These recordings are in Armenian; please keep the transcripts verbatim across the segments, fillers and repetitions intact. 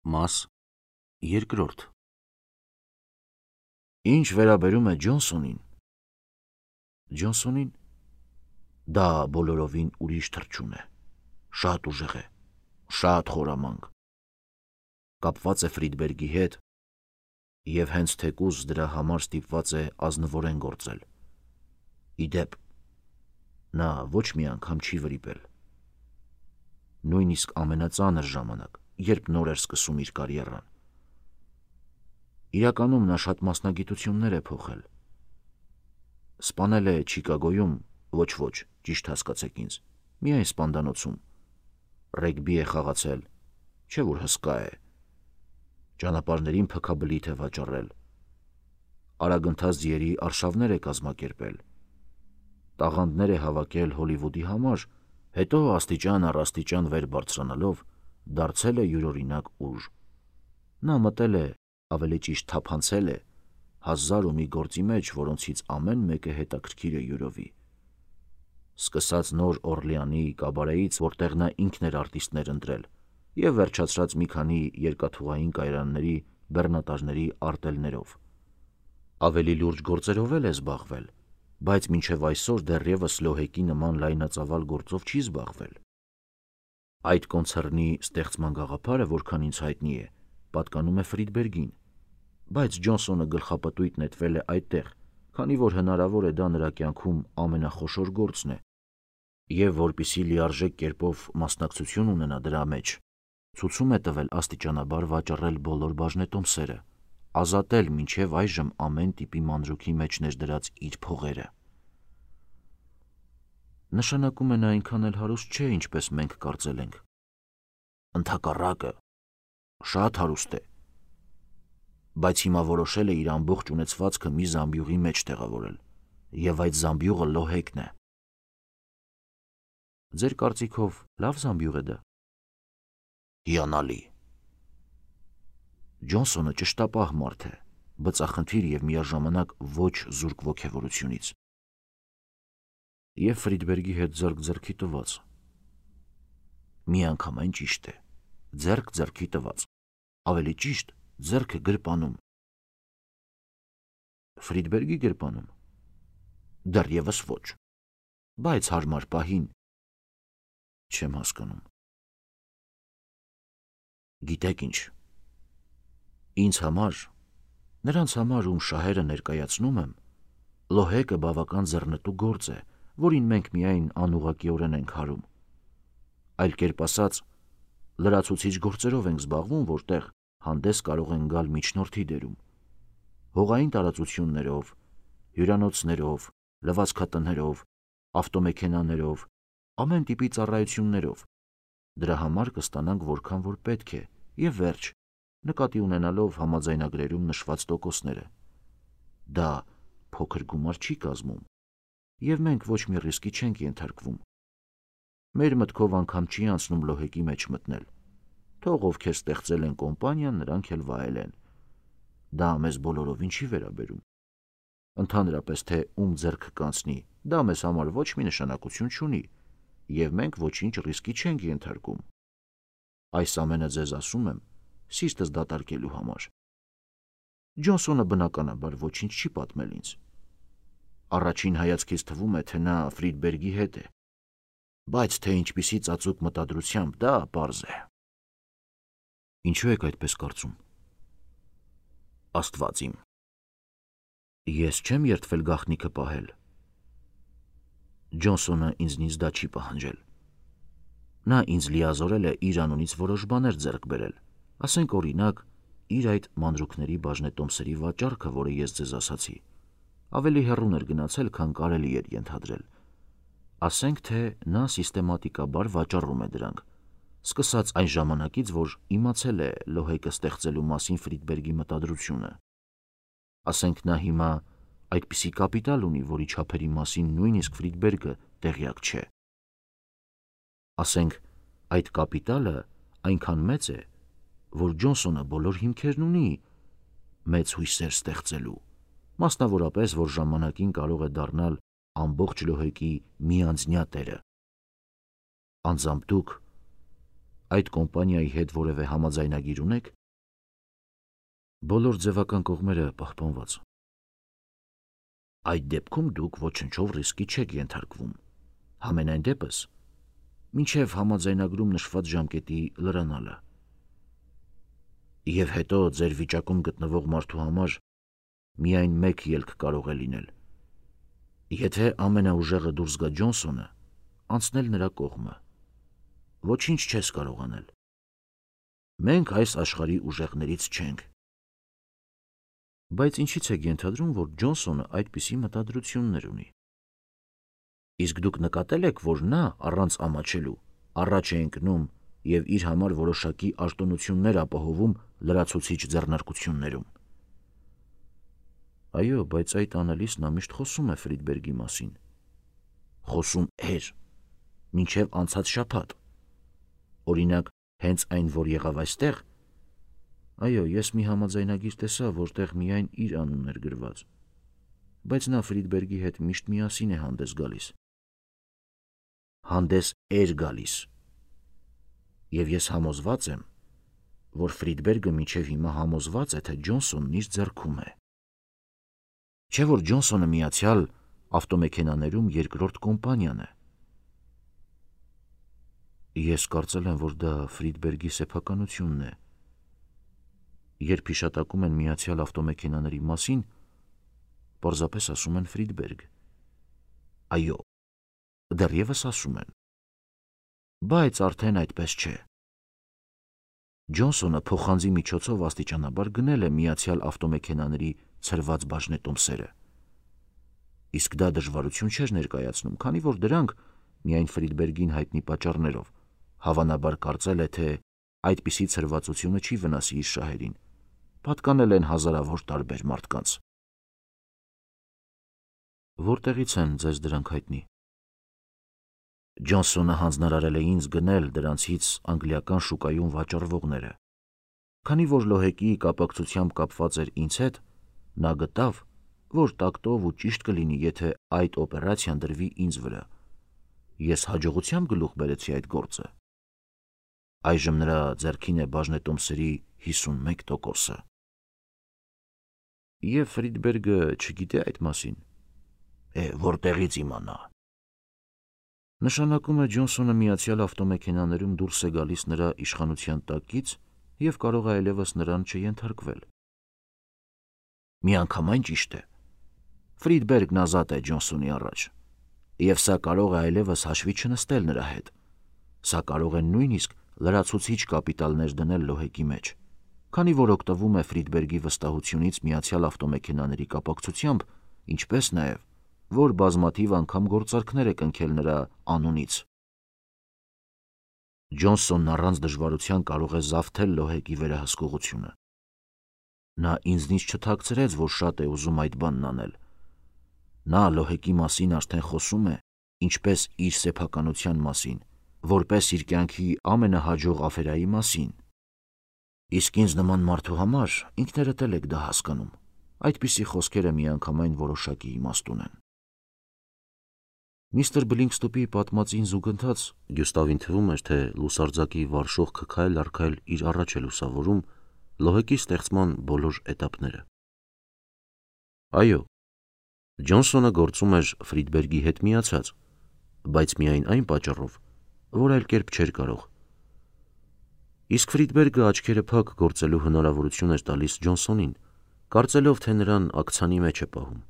Մաս երկրորդ Ինչ վերաբերում է Ջոնսոնին, Ջոնսոնին դա բոլորովին ուրիշ թռչուն է, շատ ուժեղ է, շատ խորամանկ, կապված է Ֆրիդբերգի հետ և հենց թեկուզ դրա համար ստիպված է ազնվորեն գործել։ Ի դեպ, նա ոչ մի անգամ չի վրիպել։ Նույնիսկ ամենածանր ժամանակ, երբ նոր էր սկսում իր կարիերան։ Իրականում նա շատ մասնագիտություններ է փոխել։ Սպանել է Չիկագոյում, ոչ ոչ, ճիշտ հասկացեք ինձ, միայն սպանդանոցում, ռեգբի է խաղացել, չէ որ հսկա է, ճանապարհներին փքաբլիթ է վաճառել, արագընթաց ձիերի արշավներ է կազմակերպել, տաղանդներ է հավաքել Հոլիվուդի համար, հետո աստիճան առ աստիճան վեր բարձրանալով դարձել է յուրօրինակ ուժ։ Նա մտել է, ավելի ճիշտ թափանցել է, հազար ու մի գործի մեջ, որոնցից ամեն մեկը հետաքրքիր է յուրովի։ Սկսած Նոր Օրլեանի կաբարեից, որտեղ նա ինքն էր արտիստներ ընտրել, և վերջացրած մի քանի երկաթուղային կայարանների բեռնատարների արտելներով։ Ավելի լուրջ գործերով էլ է զբաղվել, բայց մինչև այսօր դեռևս Լոհեկի նման լայնածավալ գործով չի զբաղվել։ Այդ կոնցեռնի ստեղծման գաղափարը, որքան ինձ հայտնի է, պատկանում է Ֆրիդբերգին, բայց Ջոնսոնը գլխապտույտ նետվել է այդտեղ, քանի որ հնարավոր է դա նրա կյանքում ամենախոշոր գործն է, և որպեսզի լիարժեք կերպով մասնակցություն ունենա դրա մեջ, ցուցում է տվել աստիճանաբար վաճառել բոլոր բաժնետոմսերը, ազատել մինչև այժմ ամեն տիպի մանրուքի մեջ ներդրած իր փողերը։ Նշանակում է նա այնքան էլ հարուստ չէ, ինչպես մենք կարծել ենք։ Ընդհակառակը, շատ հարուստ է, բայց հիմա որոշել է իր ամբողջ ունեցվածքը մի զամբյուղի մեջ տեղավորել, և այդ զամբյուղը Լոհեկն է։ Ձեր կարծիքով լավ զամբյուղ է դա։ Հիանալի։ Ջոնսոնը ճշտապահ մարդ է, բծախնդիր և միաժամանակ ոչ զուրկ ոգևորությունից։ Եվ Ֆրիդբերգի հետ ձեռք ձեռքի տված։ Միանգամայն ճիշտ է, ձեռք ձեռքի տված, ավելի ճիշտ, ձեռքը գրպանում։ Ֆրիդբերգի գրպանում։ Դեռևս ոչ, բայց հարմար պահին։ Չեմ հասկանում։ Գիտեք ինչ, ինձ համար, նրանց համար, ում շահերը ներկայացնում եմ, Լոհեկը բավական ձեռնտու գործ է, որին մենք միայն անուղղակիորեն ենք հարում։ Այլ կերպ ասած, լրացուցիչ գործերով ենք զբաղվում, որտեղ հանդես կարող են գալ միջնորդի դերում, հողային տարածություններով, հյուրանոցներով, լվացքատներով, ավտոմեքենաներով, ամեն տիպի ծառայություններով։ Դրա համար կստանանք որքան որ պետք է, և վերջ, նկատի ունենալով համաձայնագրերում նշված տոկոսները։ Դա փոքր գումար չի կազմում, և մենք ոչ մի ռիսկի չենք ենթարկվում։ Մեր մտքով անգամ չի անցնում Լոհեկի մեջ մտնել։ Թող ովքեր ստեղծել են կոմպանիան, նրանք էլ վայելեն։ Դա մեզ բոլորովին չի վերաբերում։ Ընդհանրապես, թե ում ձեռքը կանցնի, դա մեզ համար ոչ մի նշանակություն չունի, և մենք ոչինչ ռիսկի չենք ենթարկում։ Այս ամենը ձեզ ասում եմ սիրտս դատարկելու համար։ Ջոնսոնը բնականաբար ոչինչ չի պատմել ինձ։ Առաջին հայացքից թվում է, թե նա Ֆրիդբերգի հետ է, բայց թե ինչպիսի ծածուկ մտադրությամբ, դա պարզ է։ Ինչու եք այդպես կարծում։ Աստված իմ։ Ես չեմ երդվել գաղտնիքը պահել։ Ջոնսոնը ինձնից դա չի պահանջել։ Նա ինձ լիազորել է իր անունից որոշ բաներ ձեռք բերել, ասենք օրինակ, իր այդ մանրուքների բաժնետոմսերի վաճառքը, որը ես ձեզ ասացի, ավելի հեռուն էր գնացել, քան կարելի էր ենթադրել։ Ասենք, թե նա սիստեմատիկաբար վաճառում է դրանք, սկսած այն ժամանակից, որ իմացել է Լոհեկը ստեղծելու մասին Ֆրիդբերգի մտադրությունը։ Ասենք, նա հիմա այդպիսի կապիտալ ունի, որի չափերի մասին նույնիսկ Ֆրիդբերգը տեղյակ չէ։ Ասենք, այդ կապիտալը այնքան մեծ է, որ Ջոնսոնը բոլոր հիմքերն ունի մեծ հույսեր ստեղծելու, մասնավորապես, որ ժամանակին կարող է դառնալ ամբողջ Լոհեկի միանձնյա տերը։ Անձամբ դուք, այդ կոմպանիայի հետ որևէ համաձայնագիր ունեք։ Բոլոր ձևական կողմերը պահպանված։ Այդ դեպքում դուք ոչնչով ռիսկի չեք ենթարկվում, համենայն դեպս, մինչև համաձայնագրում նշված ժամկետի լրանալը։ Եվ հետո ձեր վիճակում գտնվող մարդու համար միայն մեկ ելք կարող է լինել։ Եթե ամենաուժեղը դուրս գա Ջոնսոնը, անցնել նրա կողմը։ Ոչինչ չես կարող անել։ Մենք այս աշխարհի ուժեղներից չենք։ Բայց ինչի՞ց եք ենթադրում, որ Ջոնսոնը այդպիսի մտադրություններ ունի։ Իսկ դուք նկատել եք, որ նա առանց ամաչելու առաջ է ընկնում և իր համար որոշակի արտոնություններ ապահովում լրացուցիչ ձեռնարկություններում։ Այո, բայց այդ անելիս նա միշտ խոսում է Ֆրիդբերգի մասին։ Խոսում էր, մինչև անցած շաբաթ։ Օրինակ, հենց այն, որ եղավ այստեղ, այո, ես մի համաձայնագիր տեսա, որտեղ միայն իր անունն էր գրված, բայց նա Ֆրիդբերգի հետ միշտ միասին է հանդես գալիս։ Հանդես էր գալիս։ Եվ ես համոզված եմ, որ Ֆրիդբերգը մինչև հիմա համոզված է, թե Ջոնսոնն իր ձեռքում է։ Չէ՞ որ Ջոնսոնը միացյալ ավտոմեքենաներում երկրորդ կոմպանիան է։ Ես կարծել եմ, որ դա Ֆրիդբերգի սեփականությունն է։ Երբ հիշատակում են միացյալ ավտոմեքենաների մասին, պարզապես ասում են Ֆրիդբերգ։ Այո, դեռևս ասում են։ Բայց արդեն այդպես չէ։ Ջոնսոնը փոխանցի միջոցով աստիճանաբար գնել է միացյալ ավտոմեքենաների ցրված բաժնետոմսերը։ Իսկ դա դժվարություն չէր ներկայացնում, քանի որ դրանք, միայն Ֆրիդբերգին հայտնի պատճառներով, հավանաբար կարծել է, թե այդպիսի ցրվածությունը չի վնասի իր շահերին, պատկանել են հազարավոր տարբեր մարդկանց։ Որտեղից են ձեզ դրանք հայտնի։ Ջոնսոնը հանձնարարել է ինձ գնել դրանցից անգլիական շուկայում վաճառվողները։ Քանի որ Լոհեկի կապակցությամբ կապված էր ինձ հետ, նա գտավ, որ տակտով ու ճիշտ կլինի, եթե այդ օպերացիան դրվի ինձ վրա։ Ես հաջողությամբ գլուխ բերեցի այդ գործը։ Այժմ նրա ձեռքին է բաժնետոմսերի հիսունմեկ տոկոսը։ Եվ Ֆրիդբերգը չգիտե այդ մասին։ Է, որտեղից իմանա։ Նշանակում է Ջոնսոնը միացյալ ավտոմեքենաներում դուրս է գալիս նրա իշխանության տակից և կարող է այլևս նրան չենթարկվել։ Միանգամայն ճիշտ է։ Ֆրիդբերգն ազատ է Ջոնսոնի առաջ, և սա կարող է այլևս հաշվի չնստել նրա հետ։ Սա կարող է նույնիսկ լրացուցիչ կապիտալներ դնել Լոհեկի մեջ, քանի որ օգտվում է Ֆրիդբերգի վստահությունից միացյալ ավտոմեքենաների կապակցությամբ, ինչպես նաև, որ բազմաթիվ անգամ գործարքներ է կնքել նրա անունից։ Ջոնսոնն առանց դժվարության կարող է զավթել Լոհեկի վերահսկողությունը։ Նա ինձնից չթաքցրեց, որ շատ է ուզում այդ բանն անել։ Նա Լոհեկի մասին արդեն խոսում է, ինչպես իր սեփականության մասին, որպես իր կյանքի ամենահաջող աֆերայի մասին։ Իսկ ինձ նման մարդու համար ինքներդ էլ եք դա հասկանում, այդպիսի խոսքերը միանգամայն որոշակի իմաստ ունեն։ Միստր Բլինքստոպի պատմածին զուգընթաց Գյուստավին թվում էր, թե լուսարձակի վարշող քայլ առ քայլ իր առաջ է լուսավորում Լոհեկի ստեղծման բոլոր էտապները։ Այո, Ջոնսոնը գործում էր Ֆրիդբերգի հետ միացած, բայց միայն այն պատճառով, որ այլ կերպ չէր կարող։ Իսկ Ֆրիդբերգը աչքերը փակ գործելու հնարավորություն էր տալիս Ջոնսոնին, կարծելով, թե նրան ակցանի մեջ է պահում։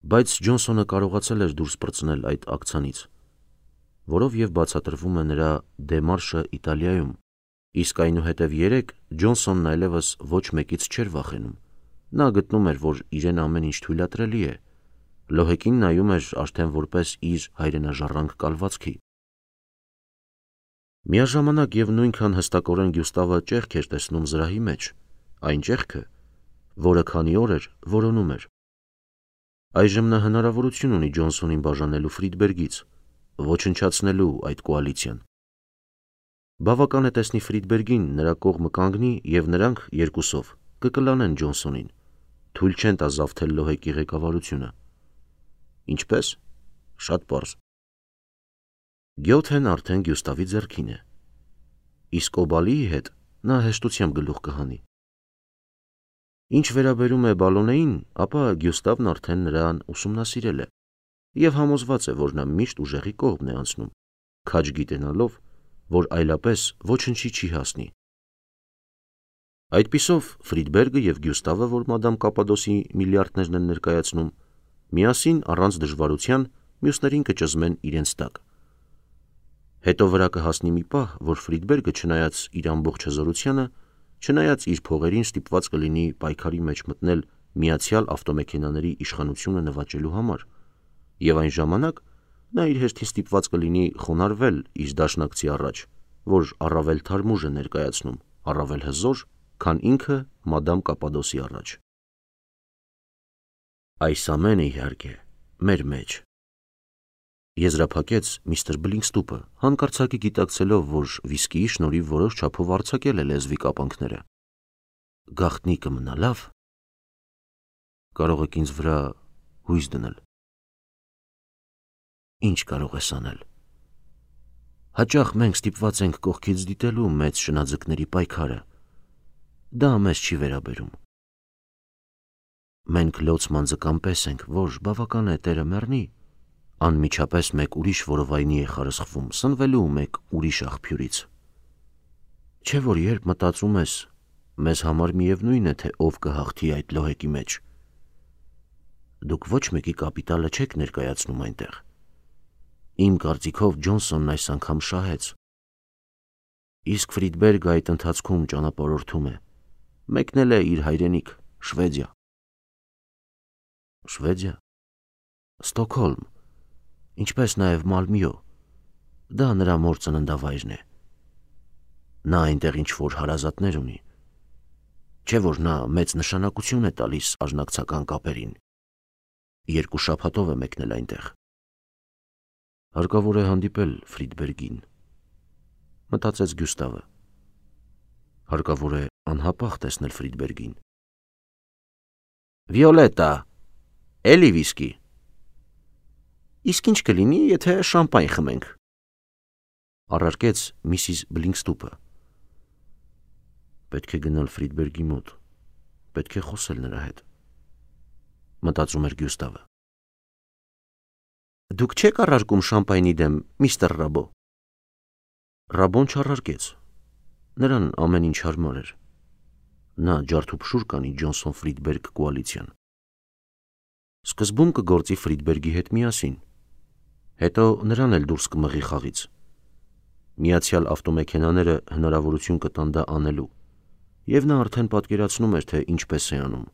Բայց Ջոնսոնը կարողացել էր դուրս պրծնել այդ ակցանից, որով և բացատրվում է նրա դեմարշը Իտալիայում, իսկ այնուհետև երեկ Ջոնսոնն այլևս ոչ մեկից չէր վախենում։ Նա գտնում էր, որ իրեն ամեն ինչ թույլատրելի է։ Լոհեկին նայում էր արդեն որպես իր հայրենաժառանգ կալվածքի։ Միաժամանակ և նույնքան հստակորեն Գյուստավը ճեղք էր տեսնում զրահի մեջ, այն ճեղքը, որը քանի օր էր որոնում էր։ Այժմ նա հնարավորություն ունի Ջոնսոնին բաժանելու Ֆրիդբերգից, ոչնչացնելու այդ կոալիցիան։ Բավական է տեսնի Ֆրիդբերգին, նրա կողմը կանգնի և նրանք երկուսով կկլանեն Ջոնսոնին, թույլ չեն տա զավթել Լոհեկի ղեկավարությունը։ Ինչպե՞ս։ Շատ պարզ։ Գյոթեն արդեն Գյուստավի ձեռքին է։ իսկ Օբալիի հետ նա հեշտությամբ գլուխ կհանի։ Ինչ վերաբերում է Բալոնեին, ապա Գյուստավն արդեն նրան ուսումնասիրել է և համոզված է, որ նա միշտ ուժեղի կողմն է անցնում, քաջ գիտենալով, որ այլապես ոչնչի չի հասնի։ Այդպիսով Ֆրիդբերգը և Գյուստավը, որ մադամ Կապադոսի միլիարդներն են ներկայացնում, միասին առանց դժվարության մյուսներին կճզմեն իրենց տակ։ Հետո վրա կհասնի մի պահ, որ Ֆրիդբերգը, չնայած իր ամբողջ հզորությանը, չնայած իր փողերին, ստիպված կլինի պայքարի մեջ մտնել Միացյալ ավտոմեքենաների իշխանությունը նվաճելու համար, և այն ժամանակ նա իր հերթին ստիպված կլինի խոնարհվել իր դաշնակցի առաջ, որ առավել թարմուժ է ներկայացնում, առավել հզոր, քան ինքը մադամ Կապադոսի առաջ։ Այս ամենը, իհարկե, մեր մեջ, եզրափակեց միստր Բլինքստուպը, հանկարծակի գիտակցելով, որ վիսկիի շնորհիվ որոշ չափով արձակել է լեզվի կապանքները։ Գաղտնի կմնա, լավ։ Կարող եք ինձ վրա հույս դնել։ Ինչ կարող ես անել։ Հաճախ մենք ստիպված ենք կողքից դիտելու մեծ շնաձկների պայքարը։ Դա մեզ չի վերաբերում։ Մենք լոցման ձկան պես ենք, որ բավական է տերը մեռնի, անմիջապես մեկ ուրիշ որովայնի է խարսխվում, սնվելու մեկ ուրիշ աղբյուրից։ Չէ՞ որ երբ մտածում ես, մեզ համար միևնույն է, թե ով կհաղթի այդ լոհեկի մեջ։ Դուք ոչ մեկի կապիտալը չեք ներկայացնում այնտեղ։ Իմ կարծիքով Ջոնսոնն այս անգամ շահեց։ Իսկ Ֆրիդբերգը այդ ընթացքում ճանապարհորդում է, մեկնել է իր հայրենիք, Շվեդիա։ Շվեդիա, Ստոկհոլմ, ինչպես նաև Մալմյո, դա նրա մոր ծննդավայրն է։ Նա այնտեղ ինչ-որ հարազատներ ունի, չէ՞ որ նա մեծ նշանակություն է տալիս արժանացական կապերին։ Երկու շաբաթով է մեկնել այնտեղ։ Հարկավոր է հանդիպել Ֆրիդբերգին, մտածեց Գյուստավը։ Հարկավոր է անհապաղ տեսնել Ֆրիդբերգին։ Վիոլետա, էլի վիսկի։ Իսկ ինչ կլինի, եթե շամպայն խմենք, առարկեց միսիս Բլինքստուպը։ Պետք է գնալ Ֆրիդբերգի մոտ, պետք է խոսել նրա հետ, մտածում էր Գյուստավը։ Դուք չեք առարկում շամպայնի դեմ, միստր Ռաբո։ Ռաբոն չառարկեց, նրան ամեն ինչ հարմար էր։ Նա ջարդուփշուր կանի Ջոնսոն-Ֆրիդբերգ կոալիցիան։ Սկզբում կգործի Ֆրիդբերգի հետ միասին, հետո նրան էլ դուրս կմղի խաղից։ Միացյալ ավտոմեքենաները հնարավորություն կտան դա անելու, և նա արդեն պատկերացնում էր, թե ինչպես է անում։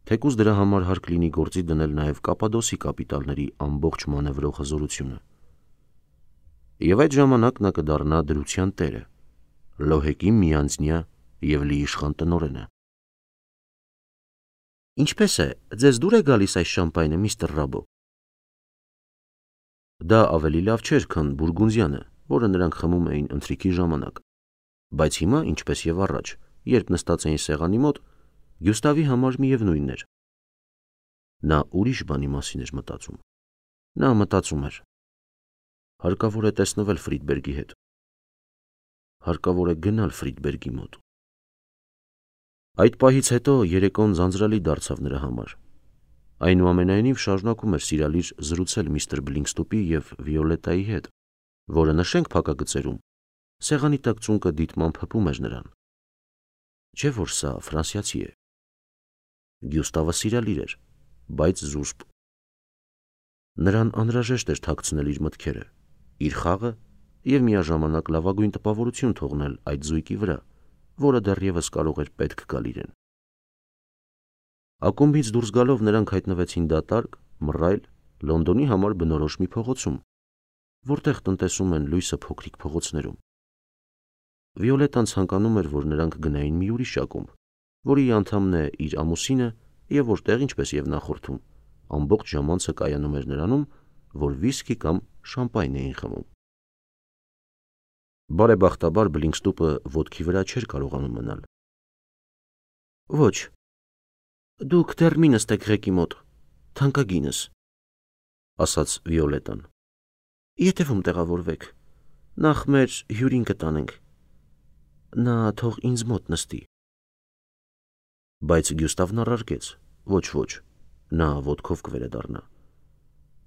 Թեկուզ դրա համար հարկ լինի գործի դնել նաև Կապադոսի կապիտալների ամբողջ մանևրող հզորությունը։ Եվ այդ ժամանակ նա կդառնա դրության տերը, լոհեկի միանձնյա և լիիշխան տնօրենը։ Ինչպես է, ձեզ դուր է գալիս այս շամպայնը, միստր Ռաբո։ Դա ավելի լավ չէր, քան բուրգունդիանը, որը նրանք խմում էին ընթրիքի ժամանակ, բայց հիմա, ինչպես և առաջ, երբ նստած էին սեղանի մոտ, Գյուստավի համար միևնույնն էր։ Նա ուրիշ բանի մասին էր մտածում։ Նա մտածում էր. հարկավոր է տեսնվել Ֆրիդբերգի հետ։ Հարկավոր է գնալ Ֆրիդբերգի մոտ։ Այդ պահից հետո երեկոն ձանձրալի դարձավ նրա համար։ Այնուամենայնիվ շարունակում էր սիրալիր զրուցել միստր Բլինքստուպի և Վիոլետայի հետ, որը, նշենք փակագծերում, սեղանի տակ ծունկը դիտմամբ հպում էր նրան։ Չէ՞ որ սա ֆրանսիացի է։ Գյուստավը սիրալիր էր, բայց զուսպ։ Նրան անհրաժեշտ էր թաքցնել իր մտքերը, իր խաղը և միաժամանակ լավագույն տպավորություն թողնել այդ զույգի վրա, որը դեռևս կարող էր պետք գալ իրեն։ Ակումբից դուրս գալով նրանք հայտնվեցին դատարկ, մռայլ, Լոնդոնի համար բնորոշ մի փողոցում, որտեղ տնտեսում են լույսը փոքրիկ փողոցներում։ Վիոլետան ցանկանում էր, որ նրանք գնային մի ուրիշ ակումբ, որի անդամն է իր ամուսինը և որտեղ, ինչպես և նախորդում, ամբողջ ժամանցը կայանում էր նրանում, որ վիսկի կամ շամպայն էին խմում։ Բարեբախտաբար Բլինքստուպը ոտքի վրա չէր կարողանում մնալ։ Ոչ, դուք դեռ մի նստեք ղեկի մոտ, թանկագինս, ասաց Վիոլետան։ Ետևում տեղավորվեք, նախ մեր հյուրին կտանենք, Նա թող ինձ մոտ նստի։ Բայց Գյուստավն առարկեց. ոչ, ոչ, նա ոտքով կվերադառնա։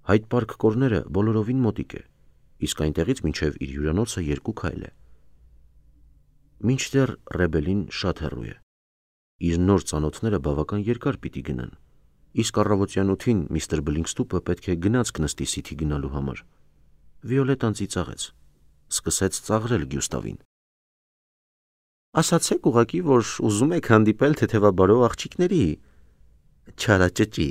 Հայտ Պարկ կորները բոլորովին մոտիկ է, իսկ այնտեղից մինչև իր հյուրանոցը երկու քայլ է։ Մինչդեռ Ռեբելին շատ հեռու է։ Իր նոր ծանոթները բավական երկար պիտի գնան, իսկ առավոտյան ութին միստր Բլինքստուպը պետք է գնացք նստի Սիթի գնալու համար։ Վիոլետան ծիծաղեց, սկսեց ծաղրել Գյուստավին։ Ասացեք ուղղակի, որ ուզում եք հանդիպել թեթևաբարո աղջիկների, չարաճճի։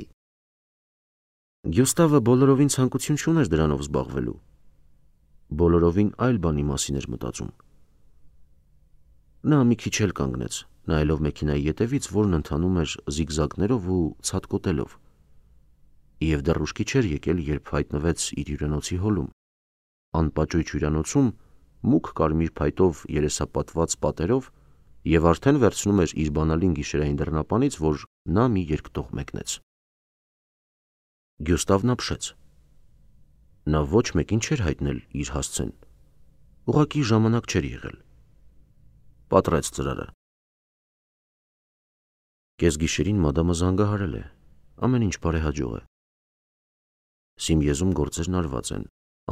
Գյուստավը բոլորովին ցանկություն չուներ դրանով զբաղվելու։ Բոլորովին այլ բանի մասին էր մտածում։ Նա մի քիչ էլ կանգնեց, նայելով մեքենայի ետևից, որն ընթանում էր զիգզագներով ու ցատկոտելով։ Եվ դեռ ուշքի չէր եկել, երբ հայտնվեց իր հյուրանոցի հոլում, անպաճույճ հյուրանոցում, մուգ կարմիր փայտով երեսապատված պատերով, եւ արդեն վերցնում էր իր բանալին գիշերային դռնապանից, որ նա մի երկտող մեկնեց։ Գյուստավն ապշեց։ Նա ոչ մեկին չէր հայտնել իր հասցեն, ուղղակի ժամանակ չէր եղել։ Պատռեց ծրարը։ Կեսգիշերին մադամը զանգահարել է, ամեն ինչ բարեհաջող է։ Սիմիեզում գործերն արված են,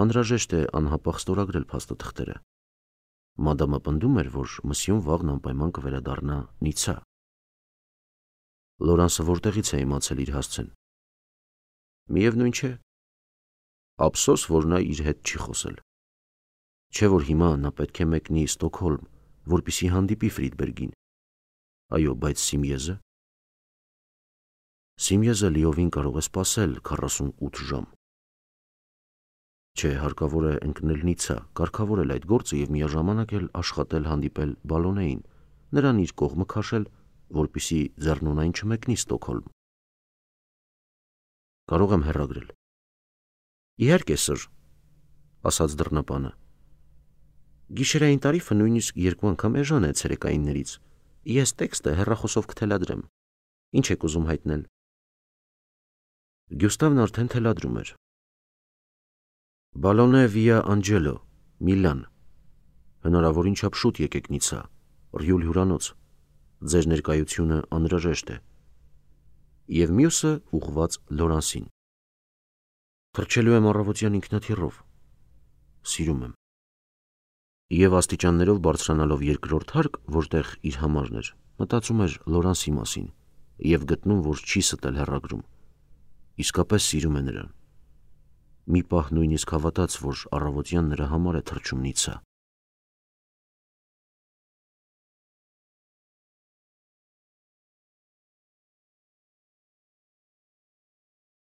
անհրաժեշտ է անհապաղ ստորագրել փաստաթղթերը։ Մադամը պնդում էր, որ մսյուն վաղն անպայման կվերադառնա Նիցա։ Լորանսը որտեղից է իմացել իր հասցեն։ Միևնույն չէ։ Ափսոս, որ նա իր հետ չի խոսել։ Չէ որ հիմա նա պետք է մեկնի Ստոկհոլմ, որպեսզի հանդիպի Ֆրիդբերգին։ Այո, բայց Սիմիեզը։ Սիմիեզը լիովին կարող է սպասել քառասունութ ժամ։ Չէ, հարկավոր է ընկնել Նիցա, կարգավորել այդ գործը եւ միաժամանակ էլ աշխատել հանդիպել Բալոնեին, նրան իր կողմը քաշել, որպեսզի ձեռնունայն չմեկնի Ստոկհոլմ։ Կարող եմ հեռագրել։ Իհարկե, սր, ասաց դռնապանը։ Գիշերային տարիֆը նույնիսկ երկու անգամ էժան է ցերեկայիններից։ Ես տեքստը հեռախոսով կթելադրեմ։ Ինչ եք ուզում հայտնել։ Գյուստավն արդեն թելադրում էր։ Բալոնե վիա Անջելո, Միլան։ Հնարավորին չափ շուտ եկեք Նիցա, Ռյուլ հյուրանոց։ Ձեր ներկայությունը անհրաժեշտ է։ Եվ մյուսը ուղղված Լորանսին։ Թռչելու եմ առավոտյան ինքնաթիռով։ Սիրում եմ։ Եվ աստիճաններով բարձրանալով երկրորդ հարկ, որտեղ իր համարն էր, մտածում էր Լորանսի մասին եւ գտնում, որ չի ստել հեռագրում։ Իսկապես սիրում է նրան։ Մի պահ նույնիսկ հավատաց, որ առավոտյան նրա համար է թռչում Նիցա։